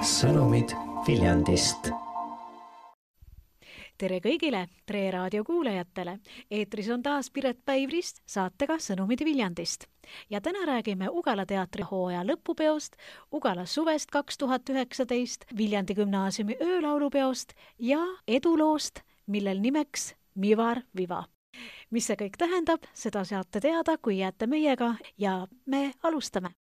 Sõnumid Viljandist. Tere kõigile Tre Raadio kuulajatele. Eetris on taas Piret Päivrist saatega Sõnumid Viljandist. Ja täna räägime Ugala teatri hooaja lõpupeost, Ugala suvest 2019, Viljandi gümnaasiumi öölaulupeost ja eduloost, millel nimeks Mivar Viva. Mis see kõik tähendab, seda saate teada, kui jääte meiega ja me alustame.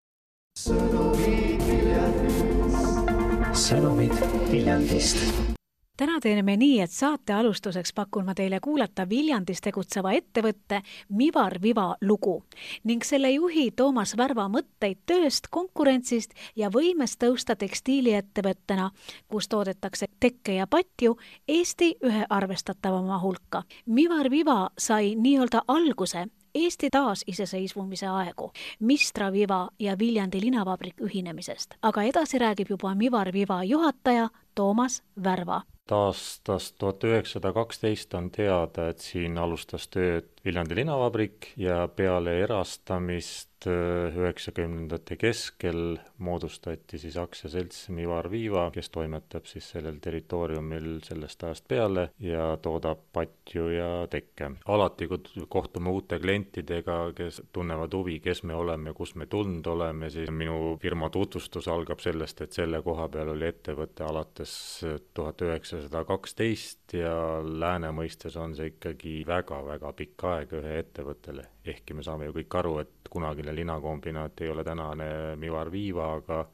Sõnumid Viljandist. Täna teeme nii, et saate alustuseks pakun ma teile kuulata Viljandis tegutseva ettevõtte Mivar Viva lugu ning selle juhi Toomas Värva mõtteid tööst, konkurentsist ja võimest tõusta tekstiiliettevõttena, kus toodetakse tekke ja patju Eesti ühe arvestatavama hulka. Mivar Viva sai nii-öelda alguse Eesti taasiseseisvumise aegu, Mistra Viva ja Viljandi linavabrik ühinemisest, aga edasi räägib juba Mivar Viva juhataja Toomas Värva. Aastast 1912 on teada, et siin alustas tööd Viljandi linavabrik ja peale erastamist 90ndate keskel moodustati siis aktsiaselts Mivar Viva, kes toimetab siis sellel territooriumil sellest ajast peale ja toodab patju ja tekke. Alati, kui kohtume uute klientidega, kes tunnevad huvi, kes me oleme ja kus me tulnud oleme, siis minu firma tutvustus algab sellest, et selle koha peal oli ettevõte alates 1912 ja lääne mõistes on see ikkagi väga-väga pikk aeg ühe ettevõttele. Ehkki me saame ju kõik aru, et kunagine linakombinaat ei ole tänane Mivar Viva, aga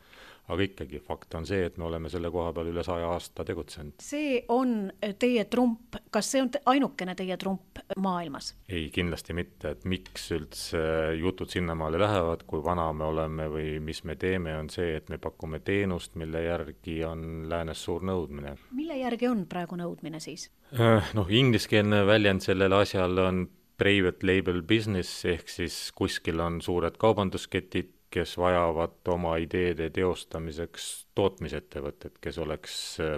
ikkagi fakt on see, et me oleme selle koha peal üle 100 aasta tegutsenud. See on teie trump, kas see on ainukene teie trump maailmas? Ei, kindlasti mitte, et miks üldse jutud sinnamaale lähevad, kui vana me oleme või mis me teeme, on see, et me pakume teenust, mille järgi on läänes suur nõudmine. Mille järgi on praegu nõudmine siis? Ingliskeelne väljend sellel asjal on private label business, ehk siis kuskil on suured kaubandusketid, kes vajavad oma ideede teostamiseks tootmisettevõtted, kes oleks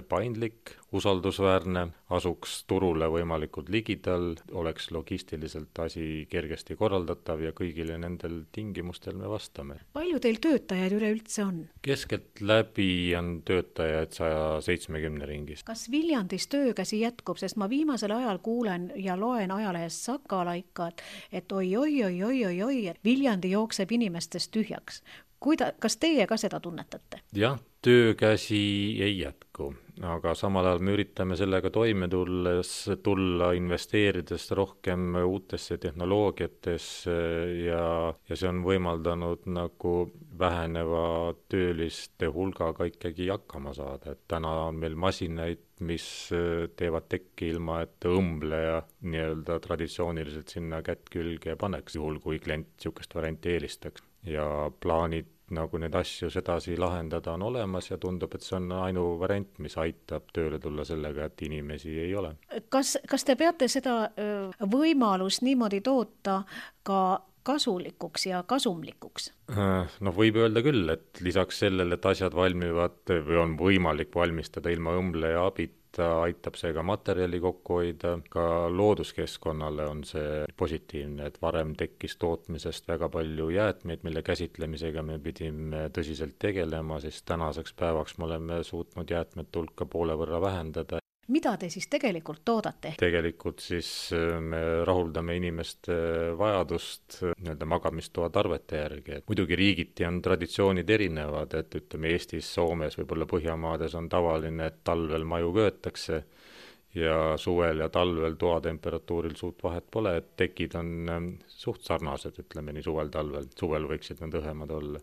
paindlik, usaldusväärne, asuks turule võimalikult ligidal, oleks logistiliselt asi kergesti korraldatav ja kõigile nendel tingimustel me vastame. Palju teil töötajaid üleüldse on? Keskelt läbi on töötajaid 170 ringis. Kas Viljandis töökäsi jätkub, sest ma viimasel ajal kuulen ja loen ajalehest Sakalaika, et oi, Viljandi jookseb inimestest tühjaks. Kas teie ka seda tunnetate? Jah, töökäsi ei jätku, aga samal ajal me üritame sellega toime tulla investeerides rohkem uutesse tehnoloogiatesse ja see on võimaldanud nagu väheneva tööliste hulgaga ikkagi hakkama saada. Et täna on meil masinaid, mis teevad tekki ilma, et õmbleja nii-öelda traditsiooniliselt sinna kätt külge paneks, juhul kui klient niisugust varianti eelistaks. Ja plaanid nagu need asju sedasi lahendada on olemas ja tundub, et see on ainuvariant, mis aitab tööle tulla sellega, et inimesi ei ole. Kas te peate seda võimalust niimoodi toota ka kasulikuks ja kasumlikuks? Võib öelda küll, et lisaks sellele, et asjad valmivad või on võimalik valmistada ilma õmbleja abita, aitab see ka materjali kokku hoida, ka looduskeskkonnale on see positiivne, et varem tekkis tootmisest väga palju jäätmeid, mille käsitlemisega me pidime tõsiselt tegelema, siis tänaseks päevaks me oleme suutnud jäätmete hulka poole võrra vähendada. Mida te siis tegelikult toodate? Tegelikult siis me rahuldame inimeste vajadust nii-öelda magamistoa tarvete järgi. Muidugi riigiti on traditsioonid erinevad, et ütleme Eestis, Soomes, võib-olla Põhjamaades on tavaline, et talvel maju köötakse ja suvel ja talvel toatemperatuuril suurt vahet pole, et tekid on suht sarnased, ütleme nii suvel-talvel. Suvel võiksid nad õhemad olla.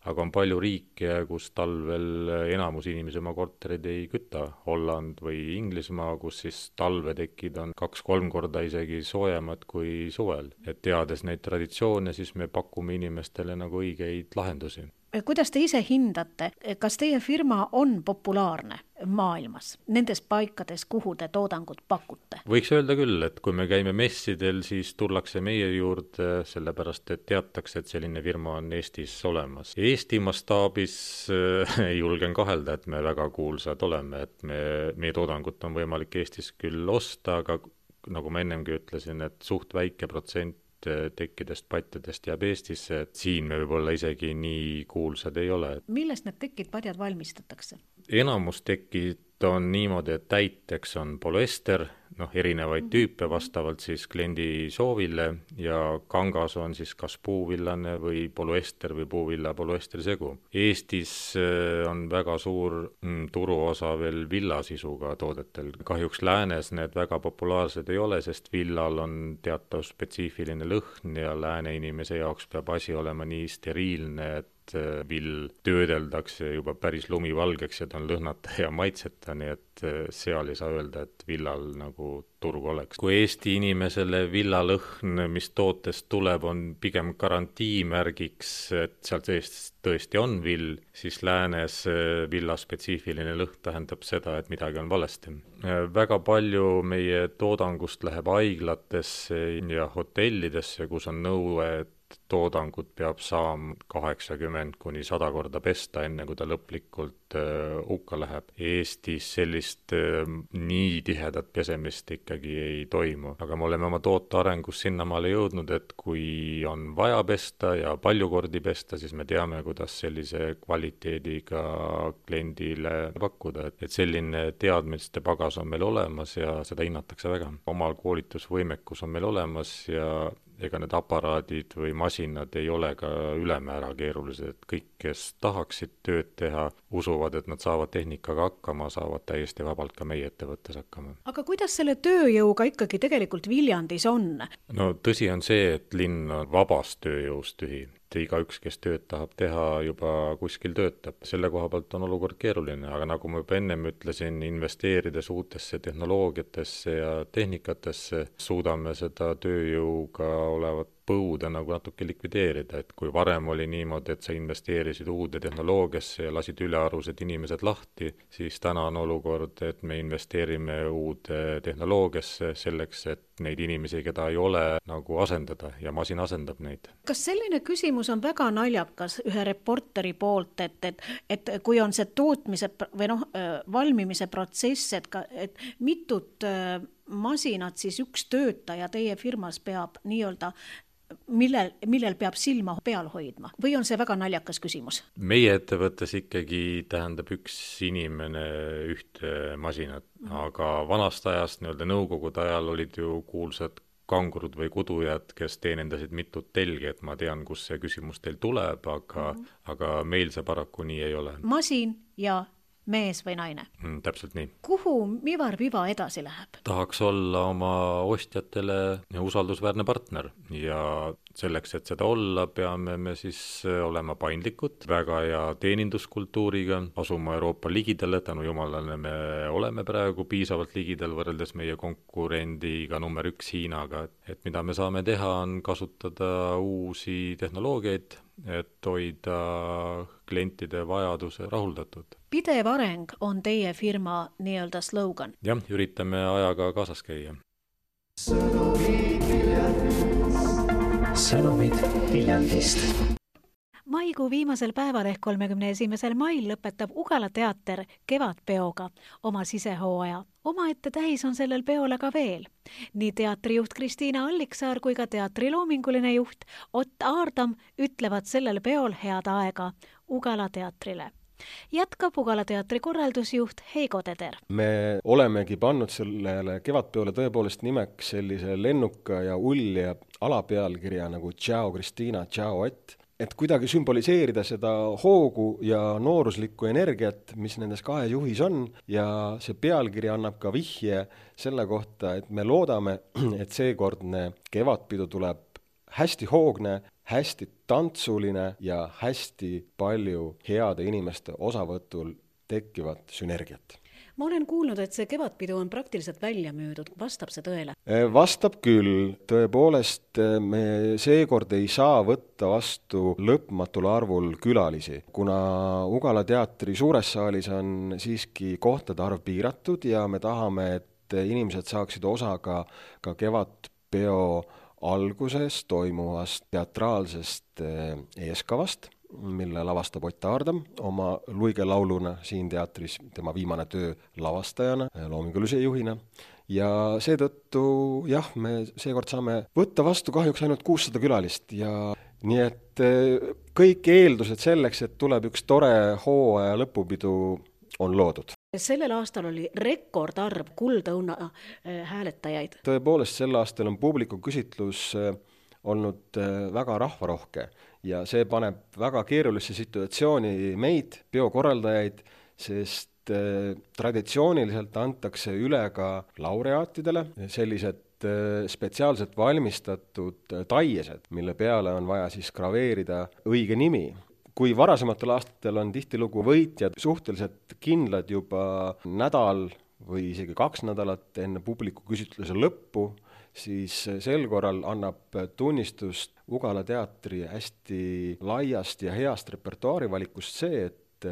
Aga on palju riike, kus talvel enamus inimesi oma korterid ei küta. Holland või Inglismaa, kus siis talvetekid on 2-3 korda isegi soojemad kui suvel. Et teades neid traditsioone, siis me pakume inimestele nagu õigeid lahendusi. Kuidas te ise hindate, kas teie firma on populaarne maailmas, nendes paikades, kuhu te toodangut pakute? Võiks öelda küll, et kui me käime messidel, siis tullakse meie juurde, sellepärast et teatakse, et selline firma on Eestis olemas. Eesti mastaabis julgen kahelda, et me väga kuulsad oleme, et meie toodangut on võimalik Eestis küll osta, aga nagu ma ennemgi ütlesin, et suht väike protsent tekkidest, patjadest jääb Eestisse, et siin me võib-olla isegi nii kuulsad ei ole. Millest need tekid, padjad valmistatakse? Enamus tekid on niimoodi, et täiteks on polüester, erinevaid tüüpe vastavalt siis kliendi soovile ja kangas on siis kas puuvillane või polüester või puuvilla polüesteri segu. Eestis on väga suur turuosa veel villasisuga toodetel. Kahjuks läänes need väga populaarsed ei ole, sest villal on teatav spetsiifiline lõhn ja lääne inimese jaoks peab asi olema nii steriilne, et vill töödeldakse juba päris lumivalgeks ja ta on lõhnata ja maitseta, nii et seal ei saa öelda, et villal nagu turg oleks. Kui Eesti inimesele villalõhn, mis tootest tuleb, on pigem garantiimärgiks, et seal tõesti on vill, siis läänes villa spetsiifiline lõhn tähendab seda, et midagi on valesti. Väga palju meie toodangust läheb haiglatesse ja hotellidesse, kus on nõue, et toodangut peab saama 80 kuni 100 korda pesta, enne kui ta lõplikult hukka läheb. Eestis sellist nii tihedat pesemist ikkagi ei toimu. Aga me oleme oma toote arengus sinnamaale jõudnud, et kui on vaja pesta ja palju kordi pesta, siis me teame, kuidas sellise kvaliteediga kliendile pakkuda. Et selline teadmiste pagas on meil olemas ja seda hinnatakse väga. Omal koolitusvõimekus on meil olemas ja ega need aparaadid või masinad ei ole ka ülemäära keerulised, et kõik, kes tahaksid tööd teha, usuvad, et nad saavad tehnikaga hakkama, saavad täiesti vabalt ka meie ettevõttes hakkama. Aga kuidas selle tööjõuga ikkagi tegelikult Viljandis on? No tõsi on see, et linn on vabast tööjõust tühi. Igaüks, kes tööd tahab teha, juba kuskil töötab. Selle koha pealt on olukord keeruline, aga nagu ma juba ennem ütlesin, investeerides uutesse tehnoloogiatesse ja tehnikatesse, suudame seda tööjõuga olevat põude nagu natuke likvideerida, et kui varem oli niimoodi, et sa investeerisid uude tehnoloogiasse ja lasid ülearused inimesed lahti, siis täna on olukord, et me investeerime uude tehnoloogiasse selleks, et neid inimesi, keda ei ole, nagu asendada ja masin asendab neid. Kas selline küsimus on väga naljakas ühe reporteri poolt, et kui on see tootmise või valmimise protsess, et mitut masinat siis üks töötaja teie firmas peab nii-öelda millel peab silma peal hoidma? Või on see väga naljakas küsimus? Meie ettevõttes ikkagi tähendab üks inimene ühte masinat, aga vanast ajast, nõukogude ajal olid ju kuulsad kangurud või kudujad, kes teenindasid mitut telgi, et ma tean, kus see küsimus teil tuleb, aga meil see paraku nii ei ole. Masin ja mees või naine. Täpselt nii. Kuhu Mivar Viva edasi läheb? Tahaks olla oma ostjatele usaldusväärne partner ja selleks, et seda olla, peame me siis olema paindlikud, väga hea teeninduskultuuriga, asuma Euroopa ligidale, tänu jumalale me oleme praegu piisavalt ligidal võrreldes meie konkurendiga number 1 Hiinaga, et mida me saame teha, on kasutada uusi tehnoloogiaid, et hoida klientide vajaduse rahuldatud. Pidev areng on teie firma nii-öelda slogan. Jah, üritame ajaga kaasas käia. Sõnumid Viljandist. Maikuu viimasel päeval ehk 31. mail lõpetab Ugala teater Kevadpeoga oma sisehooaja. Omaette tähis on sellel peole ka veel. Nii teatrijuht Kristiina Alliksaar kui ka teatri loominguline juht Ott Aardam ütlevad sellel peol head aega Ugala teatrile. Jätkab Ugala teatri korraldusjuht Heigo Teder. Me olemegi pannud sellele Kevadpeole tõepoolest nimeks sellise lennuka ja ulja alapealkirja nagu Ciao Kristiina, Ciao Ott, et kuidagi sümboliseerida seda hoogu ja nooruslikku energiat, mis nendes kahe juhis on, ja see pealkiri annab ka vihje selle kohta, et me loodame, et seekordne kevadpidu tuleb hästi hoogne, hästi tantsuline ja hästi palju heade inimeste osavõtul tekkivat sünergiat. Ma olen kuulnud, et see kevadpidu on praktiliselt välja müüdud. Vastab see tõele? Vastab küll. Tõepoolest, me seekord ei saa võtta vastu lõpmatul arvul külalisi, kuna Ugala teatri suures saalis on siiski kohtade arv piiratud ja me tahame, et inimesed saaksid osa ka kevadpeo alguses toimuvast teatraalsest eeskavast, mille lavastab Ott Aardam oma luige lauluna siin teatris, tema viimane töö lavastajana, loomingulise juhina. ja seetõttu jah, me seekord saame võtta vastu kahjuks ainult 600 külalist ja nii et kõik eeldused selleks, et tuleb üks tore hooaja lõpupidu, on loodud. Sellel aastal oli rekordarv Kuldõuna hääletajaid. Tõepoolest, sel aastal on publiku küsitlus olnud väga rahvarohke ja see paneb väga keerulisse situatsiooni meid, peokorraldajaid, sest traditsiooniliselt antakse üle ka laureaatidele sellised spetsiaalselt valmistatud taiesed, mille peale on vaja siis graveerida õige nimi. Kui varasematel aastatel on tihtilugu võitjad suhteliselt kindlad juba nädal või isegi 2 nädalat enne publiku küsitluse lõppu, siis sel korral annab tunnistust Ugala teatri hästi laiast ja heast repertuaarivalikust see, et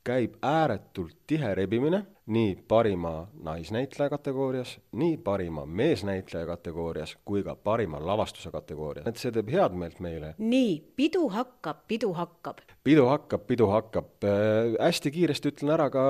käib ääretult tihe rebimine nii parima naisnäitleja kategoorias, nii parima meesnäitleja kategoorias kui ka parima lavastuse kategoorias. Et see teeb head meelt meile. Nii, pidu hakkab. Pidu hakkab. Hästi kiiresti ütlen ära ka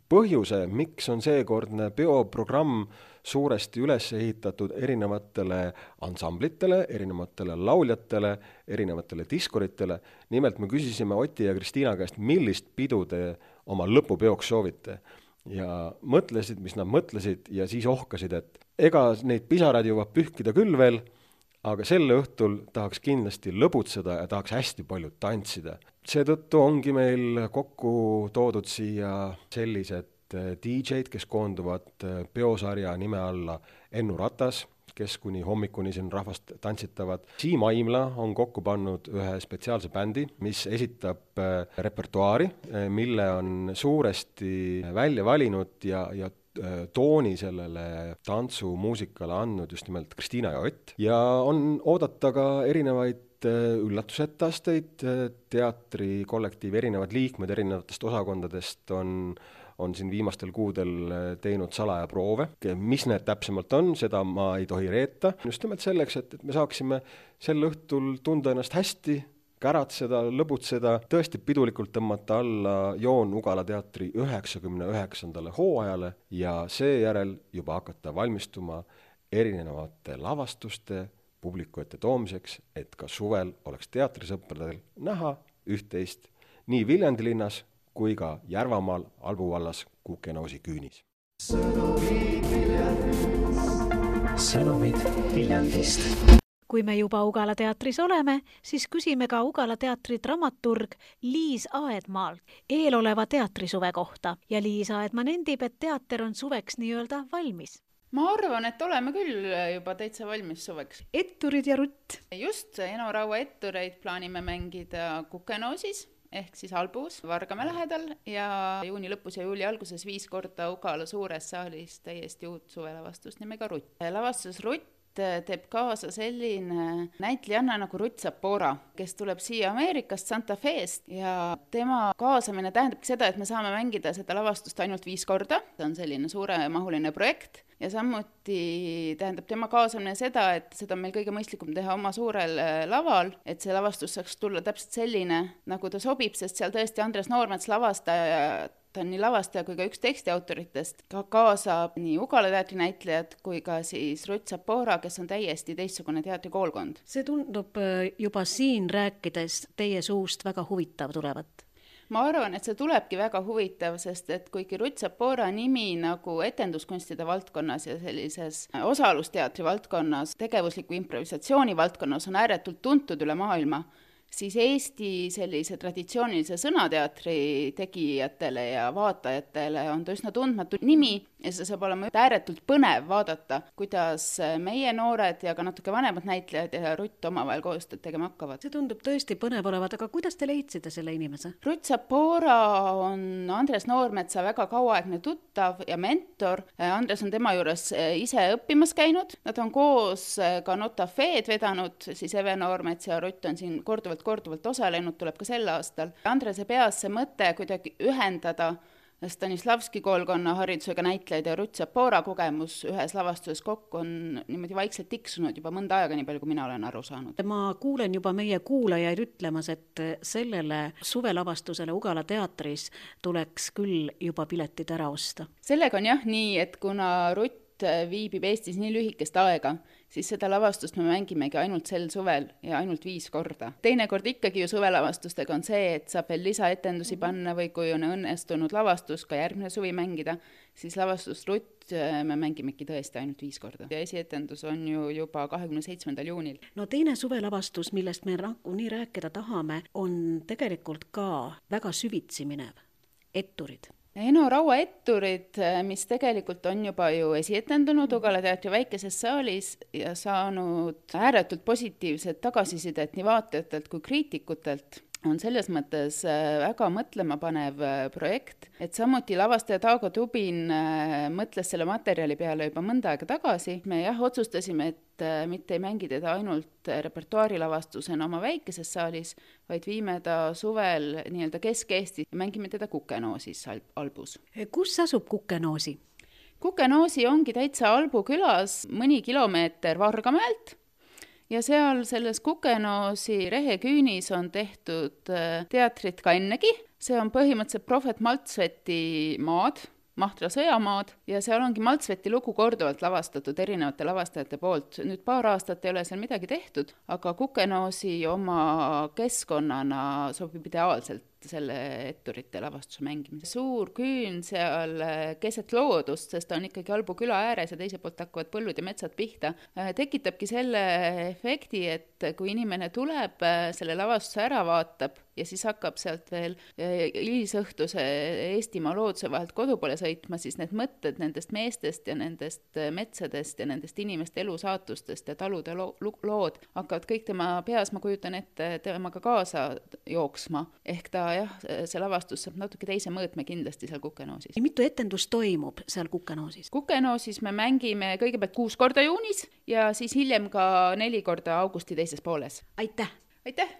põhjuse, miks on seekordne peoprogramm suuresti üles ehitatud erinevatele ansamblitele, erinevatele lauljatele, erinevatele diskoritele. Nimelt me küsisime Oti ja Kristiina käest, millist pidu te oma lõpupeoks soovite. Ja mõtlesid, mis nad mõtlesid ja siis ohkasid, et ega neid pisarad jõuab pühkida küll veel, aga selle õhtul tahaks kindlasti lõbutseda ja tahaks hästi palju tantsida. Seetõttu ongi meil kokku toodud siia sellised DJ-d, kes koonduvad peosarja nime alla Ennu Ratas, kes kuni hommikuni siin rahvast tantsitavad. Siim Aimla on kokku pannud ühe spetsiaalse bändi, mis esitab repertuaari, mille on suuresti välja valinud ja tooni sellele tantsumuusikale andnud just nimelt Kristiina ja Ott. Ja on oodata ka erinevaid üllatusetaasteid, teatrikollektiivi erinevad liikmed erinevatest osakondadest on siin viimastel kuudel teinud salaja proove. Mis need täpsemalt on, seda ma ei tohi reeta. Just nimelt selleks, et me saaksime sel õhtul tunda ennast hästi, käratseda, lõbutseda, tõesti pidulikult tõmmata alla joon Ugala teatri 99. hooajale ja seejärel juba hakata valmistuma erinevate lavastuste publiku ette toomiseks, et ka suvel oleks teatrisõpradel näha üht-teist nii Viljandi linnas kui ka Järvamaal Albu vallas Kukenoosi küünis. Sõnumid Viljandist. Kui me juba Ugala teatris oleme, siis küsime ka Ugala teatri dramaturg Liis Aedmaalt eeloleva teatrisuve kohta ja Liis Aedma nendib, et teater on suveks nii-öelda valmis. Ma arvan, et oleme küll juba täitsa valmis suveks. Etturid ja Rutt. Just, Eno Raua ettureid plaanime mängida Kukenoosis ehk siis Albus Vargamäe lähedal ja juuni lõpus ja juuli alguses 5 korda Ugala suures saalis täiesti uut suvelavastust nimega Rutt. Lavastus Rutt teeb kaasa selline näitlejanna nagu Rutt Sapora, kes tuleb siia Ameerikast Santa Feest ja tema kaasamine tähendabki seda, et me saame mängida seda lavastust ainult 5 korda. See on selline suuremahuline projekt ja samuti tähendab tema kaasamine seda, et seda on meil kõige mõistlikum teha oma suurel laval, et see lavastus saaks tulla täpselt selline, nagu ta sobib, sest seal tõesti Andres Noormets lavastaja, ta on nii lavastaja kui ka üks tekstiautoritest, ka kaasab nii Ugala teatri näitlejad kui ka siis Rutt Sapora, kes on täiesti teistsugune teatrikoolkond. See tundub juba siin rääkides teie suust väga huvitav tulevat. Ma arvan, et see tulebki väga huvitav, sest et kuigi Rutt Sapora nimi nagu etenduskunstide valdkonnas ja sellises osalusteatri valdkonnas, tegevusliku improvisatsiooni valdkonnas on ääretult tuntud üle maailma, siis Eesti sellise traditsioonilise sõnateatri tegijatele ja vaatajatele on ta üsna tundmatu nimi ja see saab olema ääretult põnev vaadata, kuidas meie noored ja ka natuke vanemad näitlejad ja Rutt omavahel koostööd tegema hakkavad. See tundub tõesti põnev olevat, aga kuidas te leidsite selle inimese? Rutt Sapora on Andres Noormetsa väga kauaaegne tuttav ja mentor. Andres on tema juures ise õppimas käinud. Nad on koos ka Nota Feed vedanud, siis Eve Noormets ja Rutt on siin korduvalt osalenud, tuleb ka sel aastal. Andrese peas see mõte kuidagi ühendada Stanislavski koolkonna haridusega näitlejaid ja Rutt Sapora kogemus ühes lavastuses kokku on niimoodi vaikselt tiksunud juba mõnda aega, nii palju kui mina olen aru saanud. Ma kuulen juba meie kuulajaid ütlemas, et sellele suvelavastusele Ugala teatris tuleks küll juba piletid ära osta. Sellega on jah nii, et kuna Rutt Rutt viibib Eestis nii lühikest aega, siis seda lavastust me mängimegi ainult sel suvel ja ainult 5 korda. Teinekord ikkagi ju suvelavastustega on see, et saab veel lisaetendusi panna või kui on õnnestunud lavastus ka järgmine suvi mängida, siis lavastust Rutt me mängimegi tõesti ainult 5 korda. Ja esietendus on ju juba 27. juunil. No teine suvelavastus, millest me nii rääkida tahame, on tegelikult ka väga süvitsi minev. Etturid. Eno Raua etturid, mis tegelikult on juba ju esietendunud Ugala teatri väikeses saalis ja saanud ääretult positiivset tagasisidet nii vaatajatelt kui kriitikutelt, on selles mõttes väga mõtlemapanev projekt, et samuti lavastaja Taago Tubin mõtles selle materjali peale juba mõnda aega tagasi. Me otsustasime, et mitte ei mängi teda ainult repertuaarilavastusena oma väikeses saalis, vaid viime ta suvel nii-öelda Kesk-Eesti ja mängime teda Kukenoosis Albus. Kus asub Kukenoosi? Kukenoosi ongi täitsa Albu külas mõni kilomeeter Vargamäelt. Ja seal selles Kukenoosi reheküünis on tehtud teatrit ka ennegi. See on põhimõtteliselt Prohvet Maltsveti maad, Mahtra sõjamaad, ja seal ongi Maltsveti lugu korduvalt lavastatud erinevate lavastajate poolt. Nüüd paar aastat ei ole seal midagi tehtud, aga Kukenoosi oma keskkonnana sobib ideaalselt selle etturite lavastuse mängimine. Suur küün seal keset loodust, sest ta on ikkagi Albu küla ääres ja teise poolt hakkavad põllud ja metsad pihta, tekitabki selle efekti, et kui inimene tuleb, selle lavastuse ära vaatab ja siis hakkab sealt veel hilisõhtuse Eestimaa looduse vahelt kodu poole sõitma, siis need mõtted nendest meestest ja nendest metsadest ja nendest inimeste elusaatustest ja talude lood hakkavad kõik tema peas, ma kujutan ette, temaga kaasa jooksma. Ehk ta see lavastus saab natuke teise mõõtme kindlasti seal Kukenoosis. Mitu etendust toimub seal Kukenoosis? Kukenoosis me mängime kõigepealt 6 korda juunis ja siis hiljem ka 4 korda augusti teises pooles. Aitäh! Aitäh!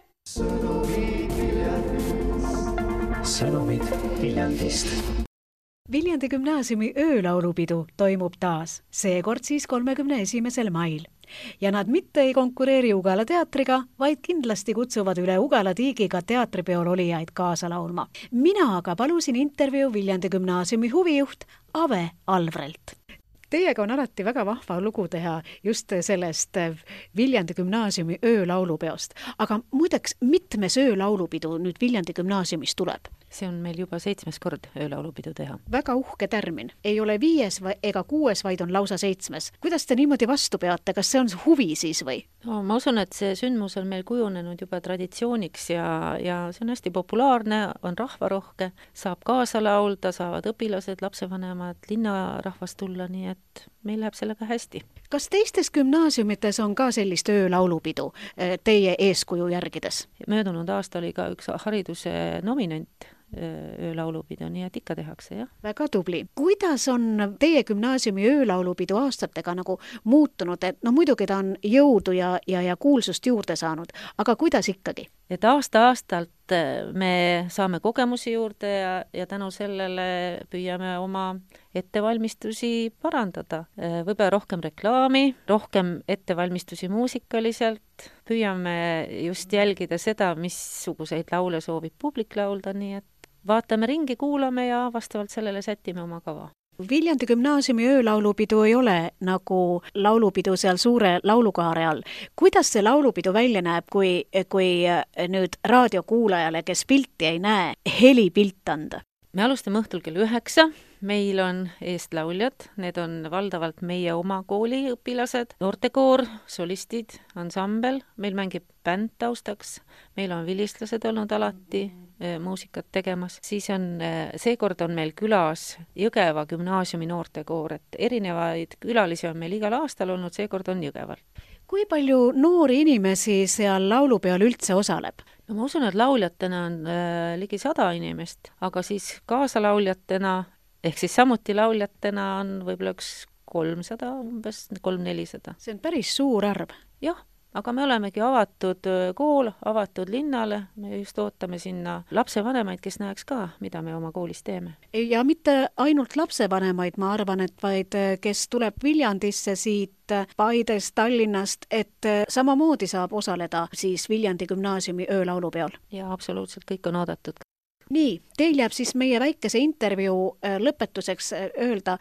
Sõnumid Viljandist. Viljandi gümnaasiumi öölaulupidu toimub taas, seekord siis 31. mail. Ja nad mitte ei konkureeri Ugala teatriga, vaid kindlasti kutsuvad üle Ugala tiigiga teatripeol olijaid kaasa laulma. Mina aga palusin intervjuu Viljandi gümnaasiumi huvijuht Ave Alvrelt. Teiega on alati väga vahva lugu teha just sellest Viljandi gümnaasiumi öölaulupeost. Aga muideks, mitmes öölaulupidu nüüd Viljandi gümnaasiumis tuleb? See on meil juba 7. kord öölaulupidu teha. Väga uhke tärmin. Ei ole 5 ega 6, vaid on lausa 7. Kuidas te niimoodi vastu peate? Kas see on huvi siis või? No, ma usun, et see sündmus on meil kujunenud juba traditsiooniks ja see on hästi populaarne, on rahvarohke, saab kaasa laulda, saavad õpilased, lapsevanemad, linnarahvas tulla, nii et meil läheb sellega hästi. Kas teistes gümnaasiumites on ka sellist öölaulupidu teie eeskuju järgides? Möödunud aasta oli ka üks hariduse nominent öölaulupidu, nii et ikka tehakse, jah. Väga tubli. Kuidas on teie gümnaasiumi öölaulupidu aastatega nagu muutunud? Et no muidugi ta on jõudu ja kuulsust juurde saanud, aga kuidas ikkagi? Et aasta-aastalt me saame kogemusi juurde ja tänu sellele püüame oma ettevalmistusi parandada. Võib-olla rohkem reklaami, rohkem ettevalmistusi muusikaliselt, püüame just jälgida seda, missuguseid laule soovib publik laulda, nii et vaatame ringi, kuulame ja vastavalt sellele sätime oma kava. Viljandi gümnaasiumi öölaulupidu ei ole nagu laulupidu seal suure laulukaare all. Kuidas see laulupidu välja näeb, kui nüüd raadiokuulajale, kes pilti ei näe, helipilt anda? Me alustame õhtul kell 9, meil on eestlauljad, need on valdavalt meie oma kooli õpilased, noortekoor, solistid, ansambel, meil mängib bänd taustaks, meil on vilistlased olnud alati muusikat tegemas, siis on, seekord on meil külas Jõgeva gümnaasiumi noortekoor, et erinevaid külalisi on meil igal aastal olnud, seekord on Jõgeval. Kui palju noori inimesi seal laulupeol üldse osaleb? No ma usun, et lauljatena on ligi 100 inimest, aga siis kaasalauljatena, ehk siis samuti lauljatena on võib-olla üks 300, umbes 300-400. See on päris suur arv. Jah, aga me olemegi avatud kool, avatud linnale, me just ootame sinna lapsevanemaid, kes näeks ka, mida me oma koolis teeme. Ja mitte ainult lapsevanemaid, ma arvan, et vaid kes tuleb Viljandisse siit Paidest, Tallinnast, et samamoodi saab osaleda siis Viljandi gümnaasiumi öölaulupeol. Ja absoluutselt kõik on oodatud. nii, teil jääb siis meie väikese intervjuu lõpetuseks öelda,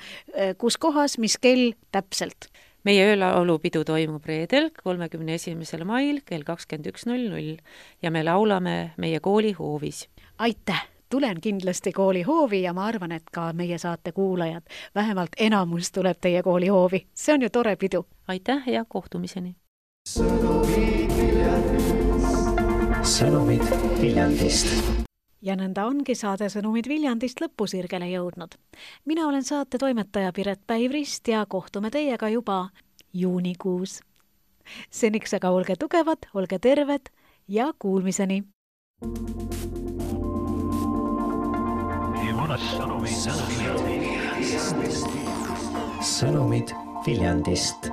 kus kohas, mis kell täpselt? Meie öölaulupidu toimub reedel, 31. mail kell 21.00 ja me laulame meie kooli hoovis. Aitäh! Tulen kindlasti kooli hoovi ja ma arvan, et ka meie saate kuulajad, vähemalt enamus tuleb teie kooli hoovi. See on ju tore pidu. Aitäh ja kohtumiseni! Sõnumid Viljandist. Ja nõnda ongi saade Sõnumid Viljandist lõpusirgele jõudnud. Mina olen saate toimetaja Piret Päivrist ja kohtume teiega juba juunikuus. Seniks aga olge tugevad, olge terved ja kuulmiseni! Sõnumid Viljandist.